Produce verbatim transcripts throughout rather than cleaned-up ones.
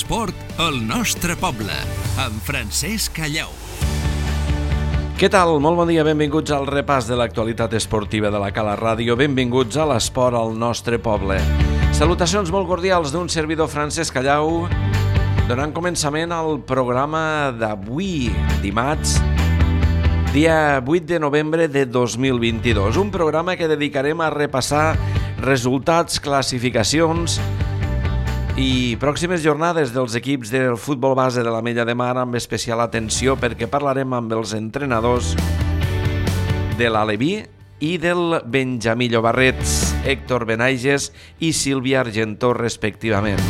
L'esport al nostre poble, amb Francesc Callau. Què tal? Molt bon dia, benvinguts al repàs de l'actualitat esportiva de la Cala Ràdio. Benvinguts a l'esport al nostre poble. Salutacions molt cordials d'un servidor Francesc Callau, donant començament al programa d'avui, dimarts, dia vuit de novembre de dos mil vint-i-dos. Un programa que dedicarem a repassar resultats, classificacions i pròximes jornades dels equips del futbol base de l'Ametlla de Mar, amb especial atenció perquè parlarem amb els entrenadors de l'Aleví i del Benjamí Llobarrets, Héctor Benaiges i Sílvia Argentó, respectivament.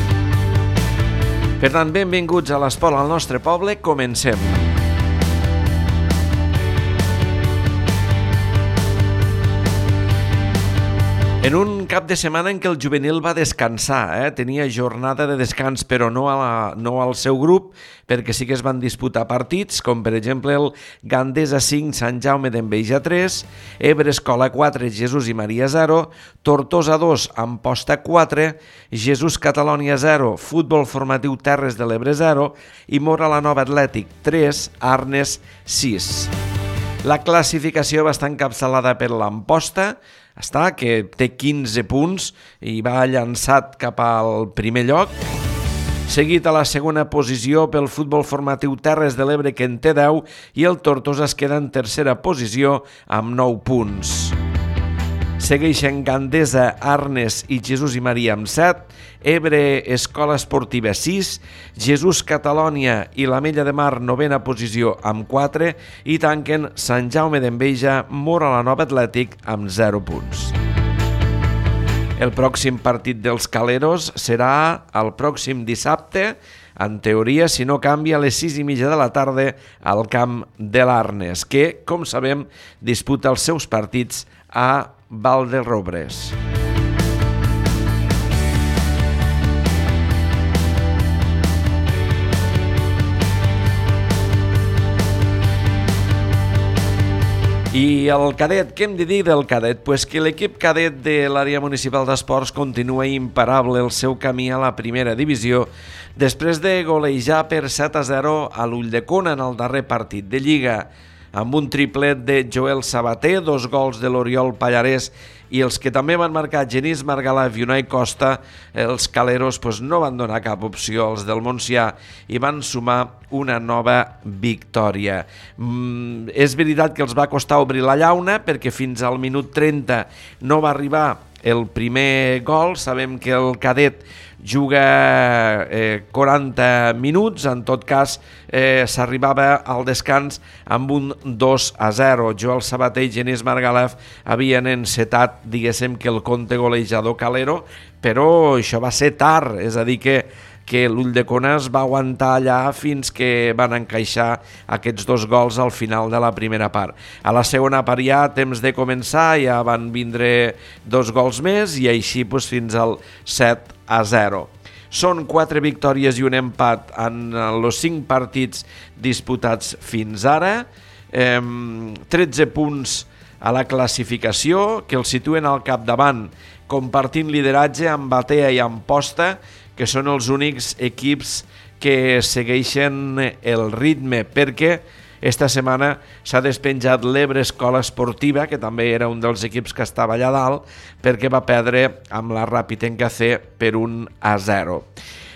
Per tant, benvinguts a l'esport al nostre poble. Comencem. En un cap de setmana en què el juvenil va descansar, eh? tenia jornada de descans, però no, a la, no al seu grup, perquè sí que es van disputar partits, com per exemple el Gandesa cinc, Sant Jaume d'Enveja tres, Ebre Escola quatre, Jesús i Maria zero, Tortosa dos, Amposta quatre, Jesús Catalònia zero, Futbol Formatiu Terres de l'Ebre zero i Mora la Nova Atlètic tres, Arnes sis. La classificació va estar encapçalada per l'Amposta, està, que té quinze punts i va llançat cap al primer lloc, seguit a la segona posició pel Futbol Formatiu Terres de l'Ebre, que en té deu, i el Tortosa es queda en tercera posició amb nou punts. Segueixen Gandesa, Arnes i Jesús i Maria amb set, Ebre Escola Esportiva sis, Jesús Catalònia i l'Ametlla de Mar novena posició amb quatre i tanquen Sant Jaume d'Enveja, Mora la Nova Atlètic amb zero punts. El pròxim partit dels Caleros serà el pròxim dissabte, en teoria, si no canvia, a les sis i mitja de la tarda al camp de l'Arnes, que, com sabem, disputa els seus partits a Valderrobres. I el cadet, què hem de dir del cadet? Pues que l'equip cadet de l'àrea municipal d'esports continua imparable el seu camí a la primera divisió després de golejar per set a zero a l'Ulldecona en el darrer partit de Lliga, amb un triplet de Joel Sabater, dos gols de l'Oriol Pallarès i els que també van marcar Genís Margalef i Unai Costa. Els Caleros pues, no van donar cap opció als del Montsià i van sumar una nova victòria. Mm, és veritat que els va costar obrir la llauna perquè fins al minut trenta no va arribar el primer gol. Sabem que el cadet juga eh, quaranta minuts, en tot cas eh, s'arribava al descans amb un dos a zero. Joel Sabater i Genís Margalef havien encetat, diguéssim, que el compte golejador calero, però això va ser tard, és a dir que que l'Ulldecona es va aguantar allà fins que van encaixar aquests dos gols al final de la primera part. A la segona part ja, a temps de començar, ja van vindre dos gols més i així doncs, fins al set a zero. Són quatre victòries i un empat en els cinc partits disputats fins ara, eh, tretze punts a la classificació, que els situen al capdavant, compartint lideratge amb Batea i Amposta, que són els únics equips que segueixen el ritme, perquè esta setmana s'ha despenjat l'Ebre Escola Esportiva, que també era un dels equips que estava allà dalt, perquè va perdre amb la Ràpitenca C per un a zero.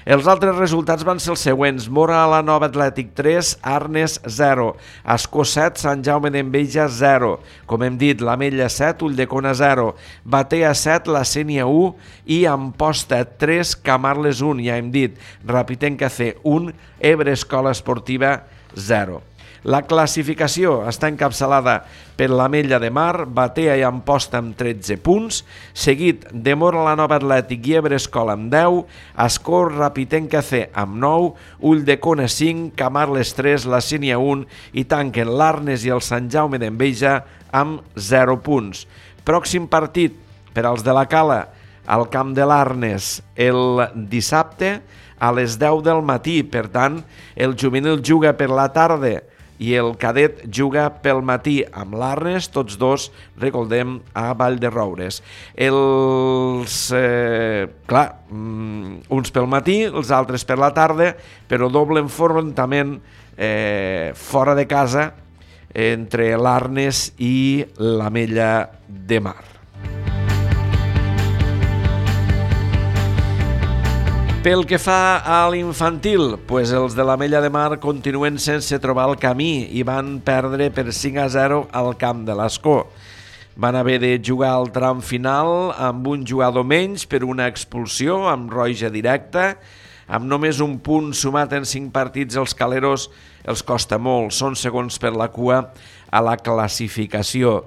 Els altres resultats van ser els següents: Mora la Nova Atlètic tres, Arnes zero, Ascó set, Sant Jaume d'Enveja zero, com hem dit, l'Ametlla set, Ulldecona zero, Batea set, la Sénia u i Amposta tres, Camarles un, ja hem dit, Ràpitenca C un, Ebre Escola Esportiva zero. La classificació està encapçalada per l'Ametlla de Mar, Batea i Amposta amb tretze punts, seguit de Mora la Nova Atlètic i Ebre Escola amb deu, Ascó, Ràpitenca C amb nou, Ulldecona cinc, Camarles tres, la Sénia un i tanquen l'Arnes i el Sant Jaume d'Enveja amb zero punts. Pròxim partit per als de la Cala al camp de l'Arnes el dissabte a les deu del matí, per tant el juvenil juga per la tarda i el cadet juga pel matí amb l'Arnes, tots dos, recordem, a Vall de Roures. Els, eh, clar, uns pel matí, els altres per la tarda, però doble enfrontament eh, fora de casa entre l'Arnes i l'Ametlla de Mar. Pel que fa a l'infantil, pues els de l'Ametlla de Mar continuen sense trobar el camí i van perdre per cinc a zero al camp de l'Escó. Van haver de jugar al tram final amb un jugador menys per una expulsió, amb roja directa. Amb només un punt sumat en cinc partits, els caleros els costa molt. Són segons per la cua a la classificació.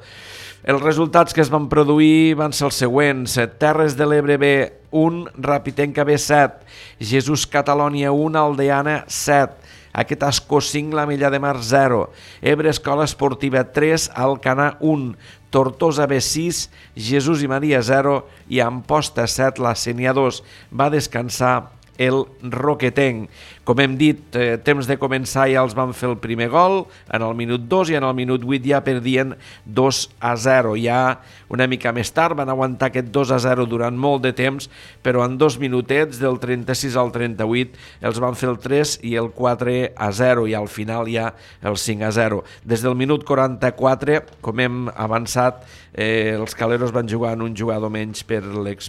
Els resultats que es van produir van ser els següents. Terres de l'Ebre B, un, Rapitenca B, set, Jesús Catalònia, un, Aldeana, set, aquest Ascó cinc, l'Ametlla de Mar, zero, Ebre Escola Esportiva, tres, Alcanar, un, Tortosa B, sis, Jesús i Maria, zero, i Amposta, set, la Sénia, dos, va descansar el Roquetenc. Com hem dit, eh, temps de començar ja els van fer el primer gol, en el minut dos, i en el minut vuit ja perdien dos a zero. Ja una mica més tard van aguantar aquest dos a zero durant molt de temps, però en dos minutets, del trenta-sis al trenta-vuit, els van fer el tres i el quatre a zero, i al final ja el cinc a zero. Des del minut quaranta-quatre, com hem avançat, eh, els caleros van jugar en un jugador menys per,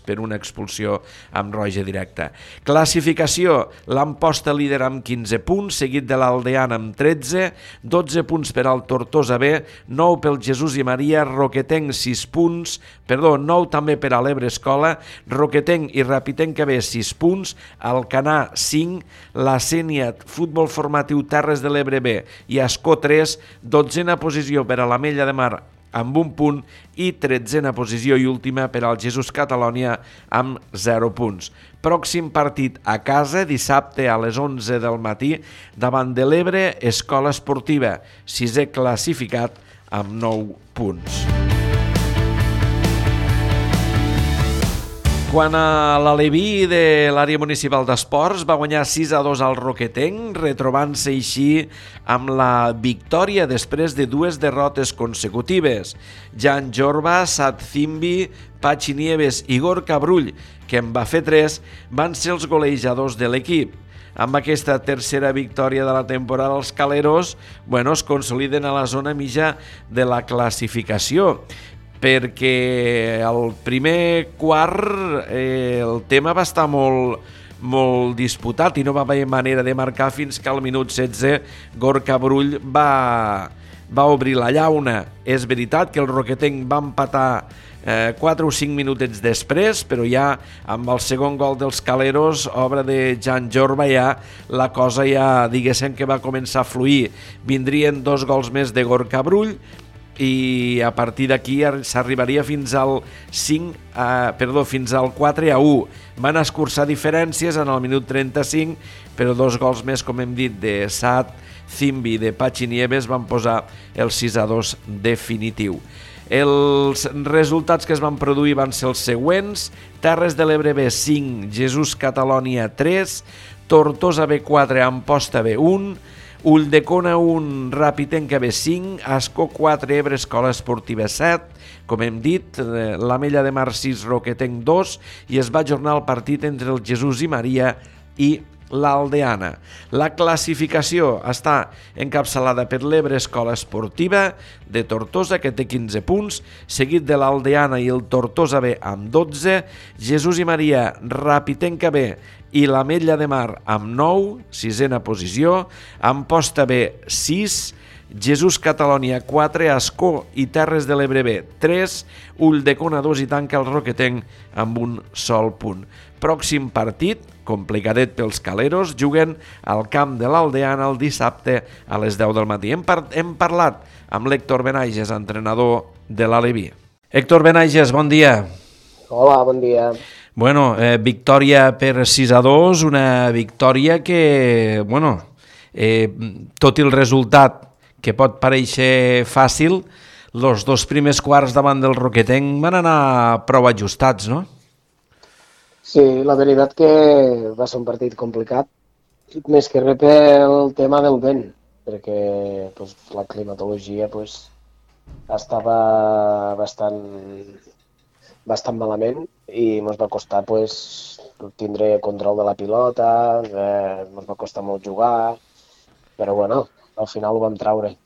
per una expulsió amb roja directa. Classificació, l'Amposta líder amb quinze punts, seguit de l'Aldeana amb tretze, dotze punts per al Tortosa B, nou pel Jesús i Maria, Roquetenc sis punts, perdó, nou també per a l'Ebre Escola, Roquetenc i Rapitenca B sis punts, Alcanar cinc, la Sénia Futbol Formatiu Terres de l'Ebre B i Ascó tres, dotzena posició per a l'Ametlla de Mar amb un punt i tretzena posició i última per al Jesús Catalònia amb zero punts. Pròxim partit a casa, dissabte a les onze del matí, davant de l'Ebre Escola Esportiva, sisè classificat amb nou punts. Quan a l'Aleví de l'àrea municipal d'esports va guanyar sis a dos al Roquetenc, retrobant-se així amb la victòria després de dues derrotes consecutives. Jan Jorba, Sat Zimbi, Pachi Nieves i Gorka Brull, que en va fer tres, van ser els golejadors de l'equip. Amb aquesta tercera victòria de la temporada, els caleros bueno, es consoliden a la zona mitja de la classificació, perquè el primer quart eh, el tema va estar molt, molt disputat i no va haver manera de marcar fins que al minut setze Gorka Brull va, va obrir la llauna. És veritat que el Roquetenc va empatar eh, quatre o cinc minutets després, però ja amb el segon gol dels caleros, obra de Jan Jorba, ja la cosa ja diguéssim que va començar a fluir. Vindrien dos gols més de Gorka Brull, i a partir d'aquí s'arribaria fins al cinc, eh, perdó, fins al quatre a u. Van escurçar diferències en el minut trenta-cinc, però dos gols més, com hem dit, de Sat Zimbi i de Pachi Nieves van posar el sis a dos definitiu. Els resultats que es van produir van ser els següents: Terres de l'Ebre B cinc, Jesús Catalònia tres, Tortosa B quatre, Amposta B un, Ulldecona un, Rapitenca B cinc, Ascó quatre, Ebre Escola Esportiva set, com hem dit, l'Ametlla de Mar sis, Roquetenc dos, i es va ajornar el partit entre el Jesús i Maria i l'Aldeana. La classificació està encapçalada per l'Ebre Escola Esportiva de Tortosa, que té quinze punts, seguit de l'Aldeana i el Tortosa B amb dotze, Jesús i Maria, Rapitenca B i l'Ametlla de Mar amb nou, sisena posició, Amposta B sis, Jesús Catalònia quatre, Ascó i Terres de l'Ebre B tres, Ulldecona dos i tanca el Roquetenc amb un sol punt. Pròxim partit, complicadet pels caleros, juguen al camp de l'Aldeana el dissabte a les deu del matí. Hem, par hem parlat amb l'Héctor Benaiges, entrenador de l'Aleví. Héctor Benaiges, bon dia. Hola, bon dia. Bueno, eh, victòria per sis a dos, una victòria que, bueno, eh, tot i el resultat que pot parèixer fàcil, els dos primers quarts davant del Roquetenc van anar prou ajustats, no? Sí, la veritat que va ser un partit complicat, més que res pel tema del vent. perquè pues, la climatologia pues, estava bastant, bastant malament i ens va costar pues, tindre control de la pilota, eh, ens va costar molt jugar, però bueno, al final ho vam traure.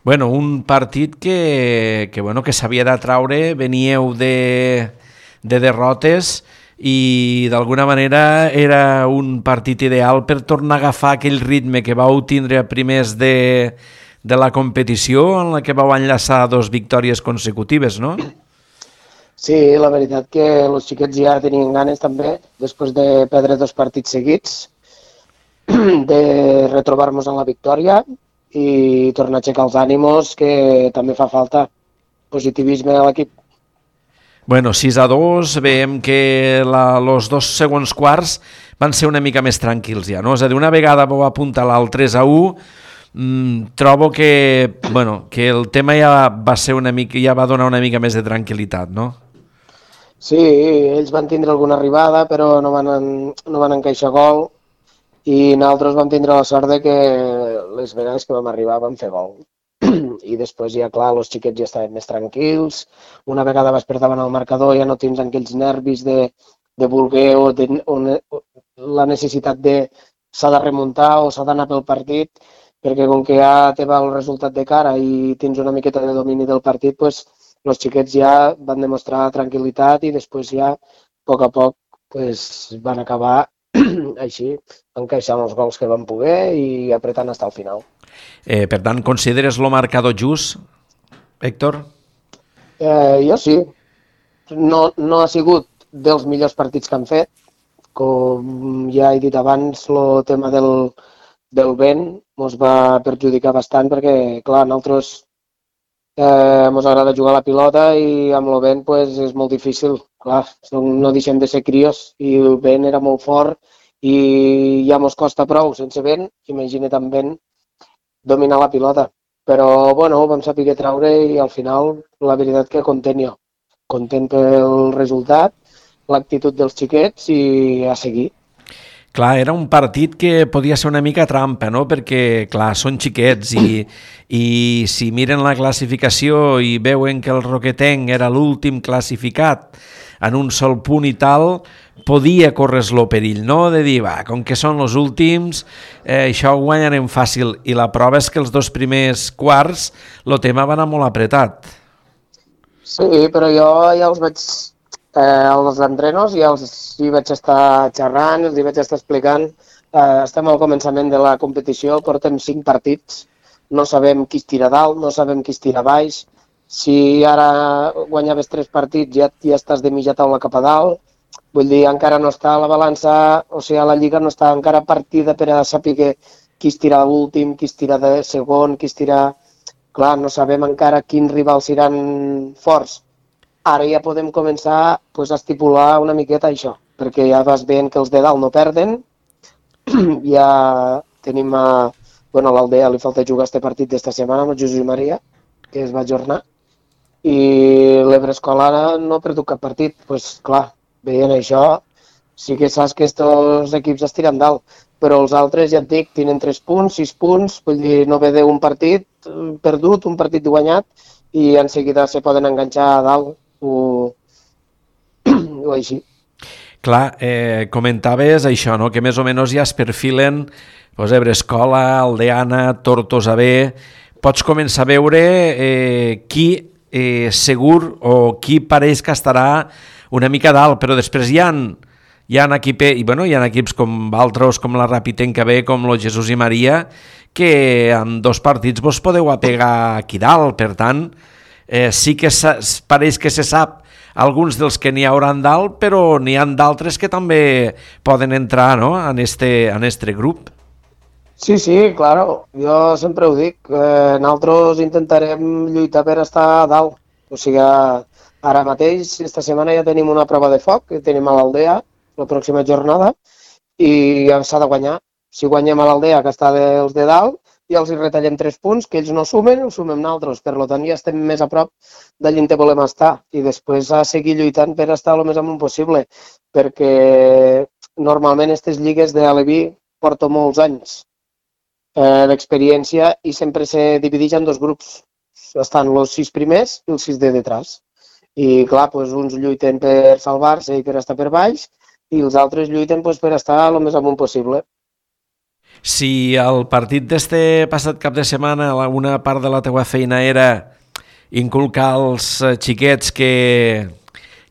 Bueno, un partit que, que, bueno, que s'havia de traure, veníeu de, de derrotes i d'alguna manera era un partit ideal per tornar a agafar aquell ritme que vau tindre a primers de, de la competició en la que vau enllaçar dos victòries consecutives, no? Sí, la veritat que els xiquets ja tenien ganes també, després de perdre dos partits seguits, de retrobar-nos en la victòria i tornar a aixecar els ànimos, que també fa falta positivisme a l'equip. Bueno, sis a dos, veiem que la, los dos segons quarts van ser una mica més tranquils ja, no? És a dir, una vegada vau apuntalar el tres a u, mmm, trobo que, bueno, que el tema ja va ser una mica, ja va donar una mica més de tranquil·litat, no? Sí, ells van tindre alguna arribada, però no van, en, no van encaixar gol i nosaltres vam tindre la sort de que les vegades que vam arribar vam fer gol. I després ja, clar, els xiquets ja estaven més tranquils. Una vegada vas per davant el marcador ja no tens aquells nervis de, de voler o, de, o, ne, o la necessitat de s'ha de remuntar o s'ha d'anar pel partit, perquè com que ja te va el resultat de cara i tens una miqueta de domini del partit, pues, els xiquets ja van demostrar tranquil·litat i després ja, a poc a poc, pues, van acabar així, encaixant els gols que van poder i apretant fins al final. Eh, per tant, consideres el marcador just, Héctor? Eh, jo sí. No, no ha sigut dels millors partits que han fet. Com ja he dit abans, el tema del, del vent ens va perjudicar bastant perquè, clar, nosaltres eh, ens agrada jugar a la pilota i amb el vent pues, és molt difícil. Clar, no deixem de ser crios i el vent era molt fort i ja ens costa prou sense vent, imagina't amb vent, dominar la pilota. Però, bueno, ho vam saber traure i al final, la veritat que content jo. Content pel resultat, l'actitud dels xiquets i a seguir. Clar, era un partit que podia ser una mica trampa, no? Perquè, clar, són xiquets i, i si miren la classificació i veuen que el Roquetenc era l'últim classificat en un sol punt i tal, podia córrer-lo perill, no? De dir, va, com que són els últims, eh, això ho guanyarem fàcil. I la prova és que els dos primers quarts el tema va anar molt apretat. Sí, però jo ja els vaig... Eh, als entrenos ja els hi vaig estar xerrant, els hi vaig estar explicant. Eh, estem al començament de la competició, portem cinc partits, no sabem qui es tira dalt, no sabem qui es tira baix. Si ara guanyaves tres partits ja, ja estàs de mitja taula cap a dalt, vull dir, encara no està a la balança, o sigui, la lliga no està encara partida per a saber qui es tira l'últim, qui es tira de segon, qui es tira... Clar, no sabem encara quins rivals seran forts. Ara ja podem començar pues, a estipular una miqueta això, perquè ja vas veient que els de dalt no perden, ja tenim a... Bueno, a l'Aldea li falta jugar este partit d'esta setmana amb el Josep Maria, que es va ajornar, i l'Ebre Escolar no ha perdut cap partit. Doncs pues, clar, veient això, sí que saps que aquests equips es tiren dalt, però els altres, ja et dic, tenen tres punts, sis punts, vull dir, no ve d'un partit perdut, un partit guanyat, i en seguida se poden enganxar a dalt o, o així. Clar, eh, comentaves això, no? Que més o menys ja es perfilen pues, Ebre Escola, Aldeana, Tortosa B. Pots començar a veure eh, qui eh, segur o qui pareix que estarà una mica dalt, però després hi ha, hi ha, equip, i, bueno, hi ha equips com altres, com la Rapitenca B, com el Jesús i Maria, que en dos partits vos podeu apegar aquí dalt. Per tant, eh, sí que pareix que se sap alguns dels que n'hi hauran dalt, però n'hi ha d'altres que també poden entrar, no?, en este, en este grup. Sí, sí, claro. Jo sempre ho dic. Eh, nosaltres intentarem lluitar per estar a dalt. O sigui, ara mateix, esta setmana ja tenim una prova de foc, que tenim a l'Aldea, la pròxima jornada, i s'ha de guanyar. Si guanyem a l'Aldea, que està dels de dalt, ja els hi retallem tres punts, que ells no sumen, ho sumem nosaltres. Per tant, ja estem més a prop d'allà on volem estar. I després a seguir lluitant per estar el més amunt possible, perquè normalment aquestes lligues de Aleví porto molts anys. eh, d'experiència i sempre se divideix en dos grups. Estan els sis primers i els sis de detrás. I clar, doncs, uns lluiten per salvar-se i per estar per baix i els altres lluiten doncs, per estar el més amunt possible. Si el partit d'este passat cap de setmana una part de la teua feina era inculcar als xiquets que,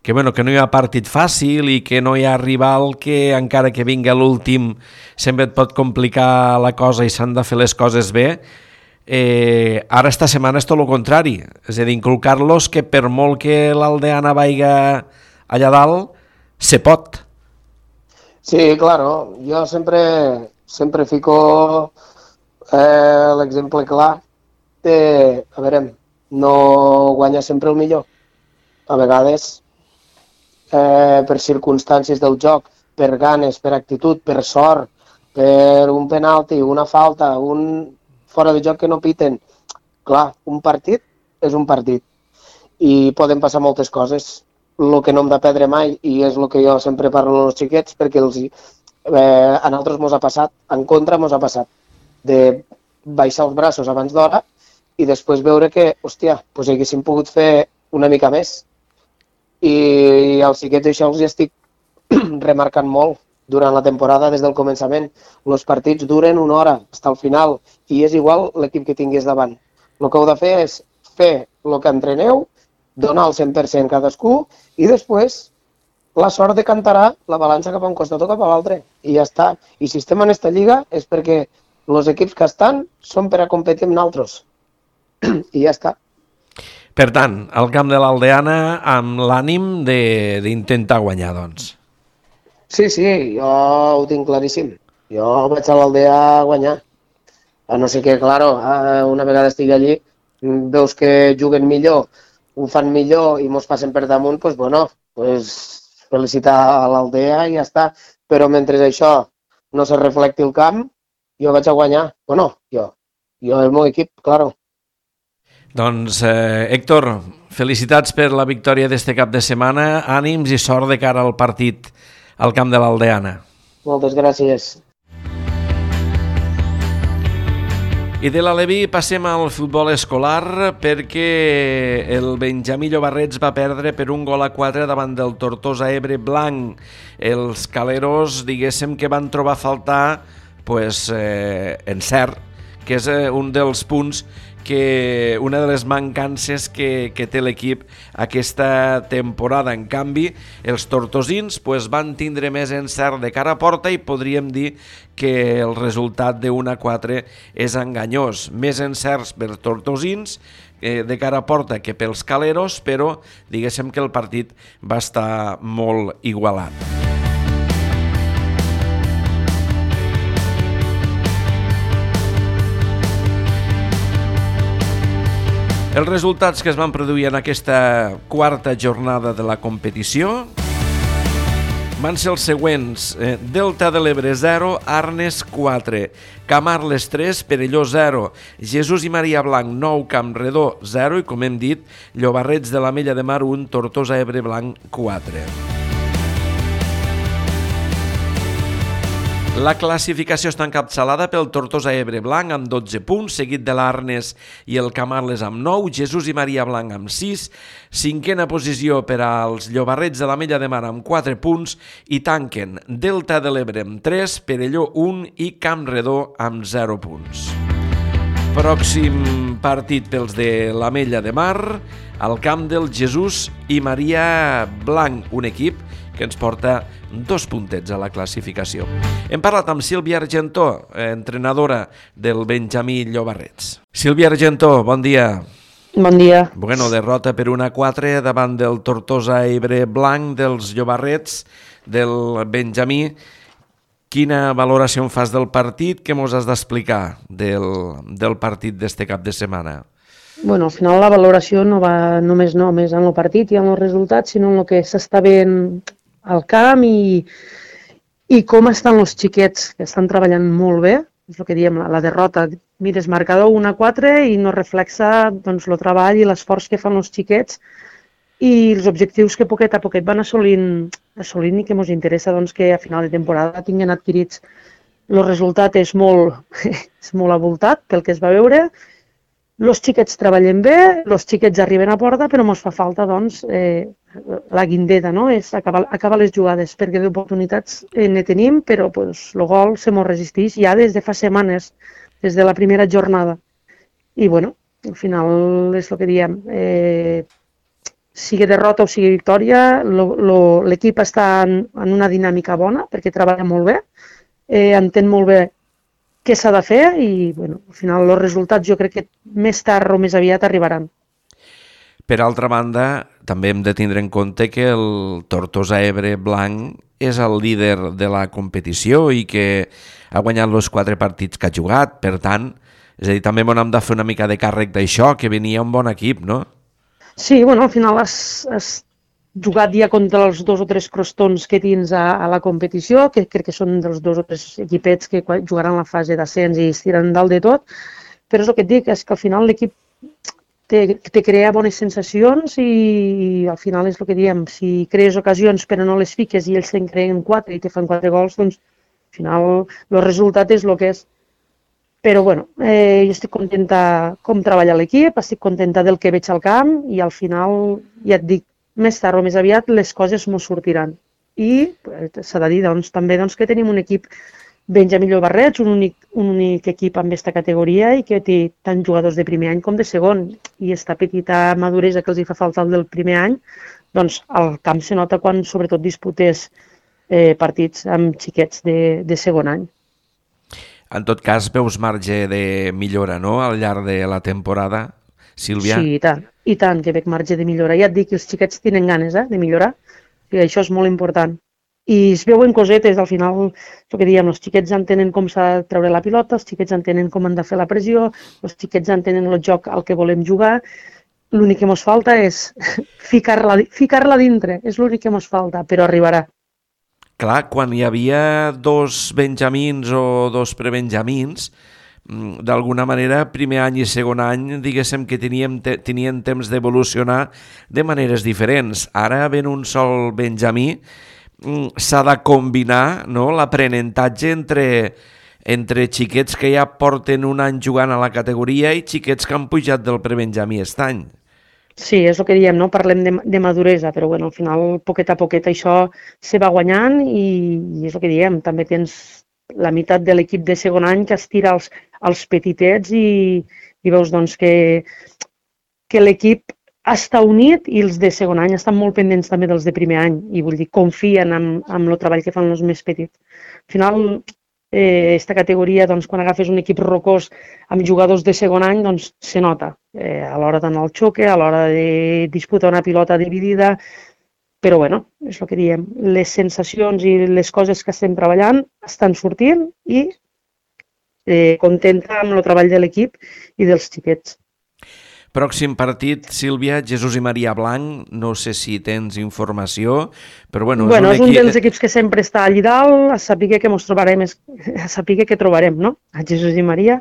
que, bueno, que no hi ha partit fàcil i que no hi ha rival que encara que vinga l'últim sempre et pot complicar la cosa i s'han de fer les coses bé, eh, ara esta setmana és tot el contrari, és a dir, inculcar-los que per molt que l'Aldeana vaiga allà dalt, se pot. Sí, claro, jo sempre... Sempre fico eh, l'exemple clar de, a veure, no guanya sempre el millor. A vegades, eh, per circumstàncies del joc, per ganes, per actitud, per sort, per un penalti, una falta, un fora de joc que no piten. Clar, un partit és un partit i poden passar moltes coses. El que no hem de perdre mai, i és el que jo sempre parlo als xiquets, perquè els Eh, a nosaltres mos ha passat, en contra mos ha passat, de baixar els braços abans d'hora i després veure que, hòstia, doncs haguéssim pogut fer una mica més. I, i als xiquets això els estic remarcant molt durant la temporada des del començament. Els partits duren una hora, fins al final, i és igual l'equip que tingués davant. El que heu de fer és fer el que entreneu, donar el cent per cent cadascú i després la sort decantarà la balança cap a un costat o cap a l'altre, i ja està. I si estem en esta lliga és perquè els equips que estan són per a competir amb nosaltres. I ja està. Per tant, al camp de l'Aldeana amb l'ànim d'intentar guanyar, doncs. Sí, sí, jo ho tinc claríssim. Jo vaig a l'Aldea a guanyar. A no ser que, claro, una vegada estigui allí, veus que juguen millor, ho fan millor i mos passen per damunt, doncs, bueno, doncs felicitar a l'Aldea i ja està. Però mentre això no se reflecti el camp, jo vaig a guanyar. Bueno, jo. Jo, el meu equip, claro. Doncs, eh, Héctor, felicitats per la victòria d'este cap de setmana. Ànims i sort de cara al partit al camp de l'Aldeana. Moltes gràcies. I de l'Aleví passem al futbol escolar perquè el Benjamí Llobarrets va perdre per un gol a quatre davant del Tortosa Ebre Blanc. Els caleros, diguéssim, que van trobar a faltar pues, eh, encert, que és eh, un dels punts que una de les mancances que, que té l'equip aquesta temporada. En canvi, els tortosins pues, van tindre més encert de cara a porta i podríem dir que el resultat de un a quatre és enganyós. Més encerts per tortosins eh, de cara a porta que pels caleros, però diguéssim que el partit va estar molt igualat. Els resultats que es van produir en aquesta quarta jornada de la competició van ser els següents. Eh, Delta de l'Ebre zero, Arnes quatre, Camarles tres, Perelló zero, Jesús i Maria Blanc nou, Campredó zero i, com hem dit, Llobarrets de l'Ametlla de Mar un, Tortosa Ebre Blanc quatre. La classificació està encapçalada pel Tortosa Ebre Blanc amb dotze punts, seguit de l'Arnes i el Camarles amb nou, Jesús i Maria Blanc amb sis, cinquena posició per als Llobarrets de l'Ametlla de Mar amb quatre punts i tanquen Delta de l'Ebre amb tres, Perelló un i Campredó amb zero punts. Pròxim partit pels de l'Ametlla de Mar, al camp del Jesús i Maria Blanc, un equip que ens porta dos puntets a la classificació. Hem parlat amb Sílvia Argentó, entrenadora del Benjamí Llobarrets. Sílvia Argentó, bon dia. Bon dia. Bueno, derrota per un a quatre davant del Tortosa Ebre Blanc dels Llobarrets del Benjamí. Quina valoració en fas del partit? Què mos has d'explicar del, del partit d'este cap de setmana? Bueno, al final la valoració no va només només en el partit i en els resultats, sinó en el que s'està veient al camp i, i com estan els xiquets, que estan treballant molt bé. És el que diem, la, la derrota. Mires, marcador un a quatre i no reflexa doncs, el treball i l'esforç que fan els xiquets i els objectius que poquet a poquet van assolint, assolint i que ens interessa doncs, que a final de temporada tinguin adquirits el resultat és molt, és molt avoltat pel que es va veure. Els xiquets treballen bé, els xiquets arriben a porta, però ens fa falta doncs, eh, la guindeta, no? És acabar, acabar les jugades, perquè d'oportunitats eh, ne tenim, però pues, el gol se mos resisteix ja des de fa setmanes, des de la primera jornada. I bueno, al final és el que diem, eh, sigui derrota o sigui victòria, lo, lo, l'equip està en, en una dinàmica bona, perquè treballa molt bé, eh, entén molt bé què s'ha de fer i bueno, al final els resultats jo crec que més tard o més aviat arribaran. Per altra banda, també hem de tindre en compte que el Tortosa Ebre blanc és el líder de la competició i que ha guanyat els quatre partits que ha jugat. Per tant, és a dir, també hem de fer una mica de càrrec d'això, que venia un bon equip, no? Sí, bueno, al final has, has jugat ja contra els dos o tres crostons que tens a, a la competició, que crec que són dels dos o tres equipets que jugaran la fase d'ascens i es tiren dalt de tot, però és el que et dic, és que al final l'equip te, te crea bones sensacions i, i al final és el que diem, si crees ocasions però no les fiques i ells te'n creen quatre i te fan quatre gols, doncs al final el resultat és el que és. Però bueno, eh, jo estic contenta com treballa l'equip, estic contenta del que veig al camp i al final, ja et dic, més tard o més aviat les coses m'ho sortiran. I s'ha de dir doncs, també doncs, que tenim un equip Benjamí Llobarrets, un únic, un únic equip amb aquesta categoria i que té tant jugadors de primer any com de segon. I aquesta petita maduresa que els hi fa falta el del primer any, doncs al camp se nota quan sobretot disputes eh, partits amb xiquets de, de segon any. En tot cas, veus marge de millora, no?, al llarg de la temporada, Sílvia? Sí, i tant, i tant que veig marge de millora. Ja et dic que els xiquets tenen ganes eh, de millorar, i això és molt important. I es veuen cosetes, al final, el que diem, els xiquets entenen com s'ha de treure la pilota, els xiquets entenen com han de fer la pressió, els xiquets entenen el joc al que volem jugar. L'únic que ens falta és ficar-la ficar-la dintre, és l'únic que ens falta, però arribarà. Clar, quan hi havia dos benjamins o dos prebenjamins, d'alguna manera, primer any i segon any, diguéssim que teníem, te, tenien temps d'evolucionar de maneres diferents. Ara, ben un sol benjamí, s'ha de combinar, no?, l'aprenentatge entre, entre xiquets que ja porten un any jugant a la categoria i xiquets que han pujat del prebenjamí aquest any. Sí, és el que diem, no? Parlem de, de maduresa, però bueno, al final, poquet a poquet, això se va guanyant i, i és el que diem, també tens la meitat de l'equip de segon any que estira als, als petitets i, i veus doncs, que, que l'equip està unit i els de segon any estan molt pendents també dels de primer any i vull dir, confien en, en el treball que fan els més petits. Al final, aquesta eh, categoria, doncs, quan agafes un equip rocós amb jugadors de segon any, doncs se nota eh, a l'hora d'anar al xoque, a l'hora de disputar una pilota dividida, però bueno, és el que diem, les sensacions i les coses que estem treballant estan sortint i eh, contenta amb el treball de l'equip i dels xiquets. Pròxim partit, Sílvia, Jesús i Maria Blanc, no sé si tens informació, però bueno... Bueno, és un, equip... és un dels equips que sempre està allà dalt, a saber que ens trobarem, a saber que trobarem, no?, a Jesús i Maria.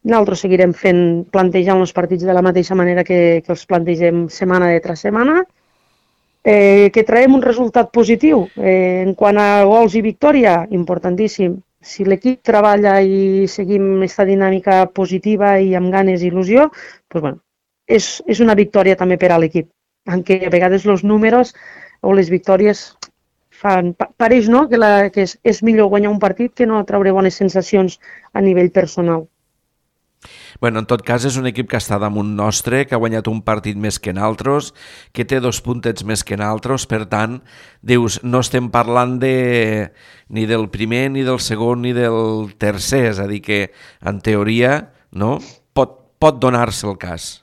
Nosaltres seguirem fent, plantejant els partits de la mateixa manera que, que els plantegem setmana de tras setmana, eh, que traiem un resultat positiu. Eh, en quant a gols i victòria, importantíssim. Si l'equip treballa i seguim aquesta dinàmica positiva i amb ganes i il·lusió, doncs bueno, és, és una victòria també per a l'equip, en què a vegades els números o les victòries fan, pareix no? que, la, que és, és millor guanyar un partit que no treure bones sensacions a nivell personal. Bueno, en tot cas, és un equip que està damunt nostre, que ha guanyat un partit més que naltros, que té dos puntets més que naltros, per tant, dius, no estem parlant de, ni del primer, ni del segon, ni del tercer, és a dir que, en teoria, no, pot, pot donar-se el cas.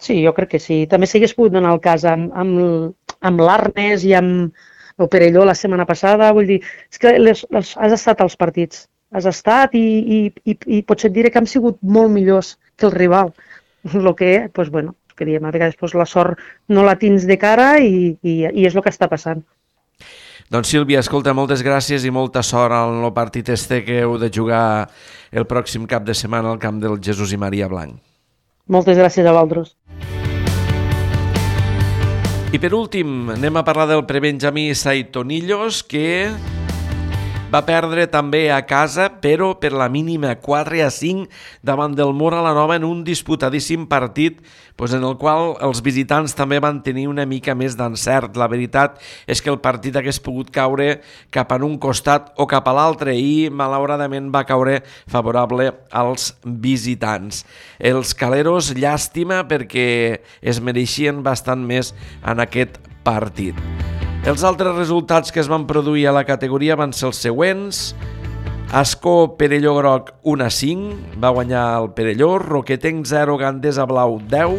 Sí, jo crec que sí. També s'hagués pogut donar el cas amb, amb, amb l'Arnes i amb el Perelló la setmana passada, vull dir, és que les, les, has estat als partits. Has estat i, i, i, i potser et diré que han sigut molt millors que el rival. El que, doncs, bueno, que diem, a vegades doncs, la sort no la tens de cara i, i, i és el que està passant. Doncs Sílvia, escolta, moltes gràcies i molta sort en el partit este que heu de jugar el pròxim cap de setmana al camp del Jesús i Maria Blanc. Moltes gràcies a vosaltres. I per últim, anem a parlar del prebenjamí Saitonillos, que Va perdre també a casa, però per la mínima quatre a cinc davant del Móra la Nova en un disputadíssim partit doncs en el qual els visitants també van tenir una mica més d'encert. La veritat és que el partit hagués pogut caure cap en un costat o cap a l'altre i malauradament va caure favorable als visitants. Els caleros, llàstima, perquè es mereixien bastant més en aquest partit. Els altres resultats que es van produir a la categoria van ser els següents. Ascó Perelló Groc un a cinc, va guanyar el Perelló. Roquetenc zero, Gandesa Blau deu.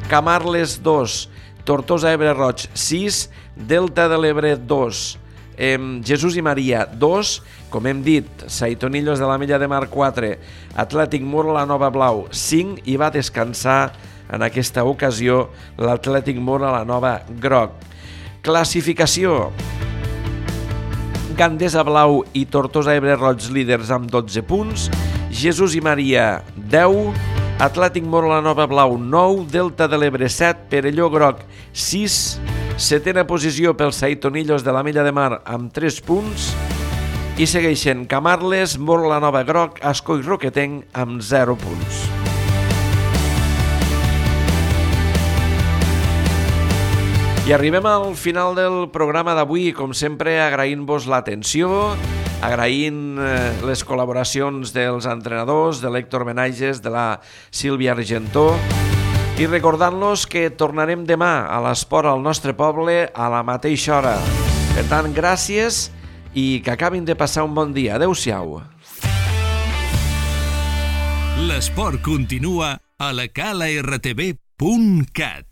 Camarles dos, Tortosa Ebre Roig sis, Delta de l'Ebre dos, eh, Jesús i Maria dos, com hem dit, Saitonillos de l'Ametlla de Mar quatre, Atlètic Móra la Nova Blau cinc i va descansar en aquesta ocasió l'Atlètic Móra la Nova Groc. Classificació: Gandesa Blau i Tortosa Ebre Roig líders amb dotze punts, Jesús i Maria deu, Atlètic Móra la Nova Blau nou, Delta de l'Ebre set, Perelló Groc sis, setena posició pels Saitonillos de l'Ametlla de Mar amb tres punts i segueixen Camarles, Móra la Nova Groc, Ascó i Roquetenc amb zero punts. I arribem al final del programa d'avui, com sempre agraint-vos l'atenció, agraint les col·laboracions dels entrenadors, de l'Héctor Benages, de la Sílvia Argentó, i recordant-los que tornarem demà a l'Esport al nostre poble a la mateixa hora. Per tant, gràcies i que acabin de passar un bon dia. Adéu-siau. L'esport continua a la cala r t v punt cat.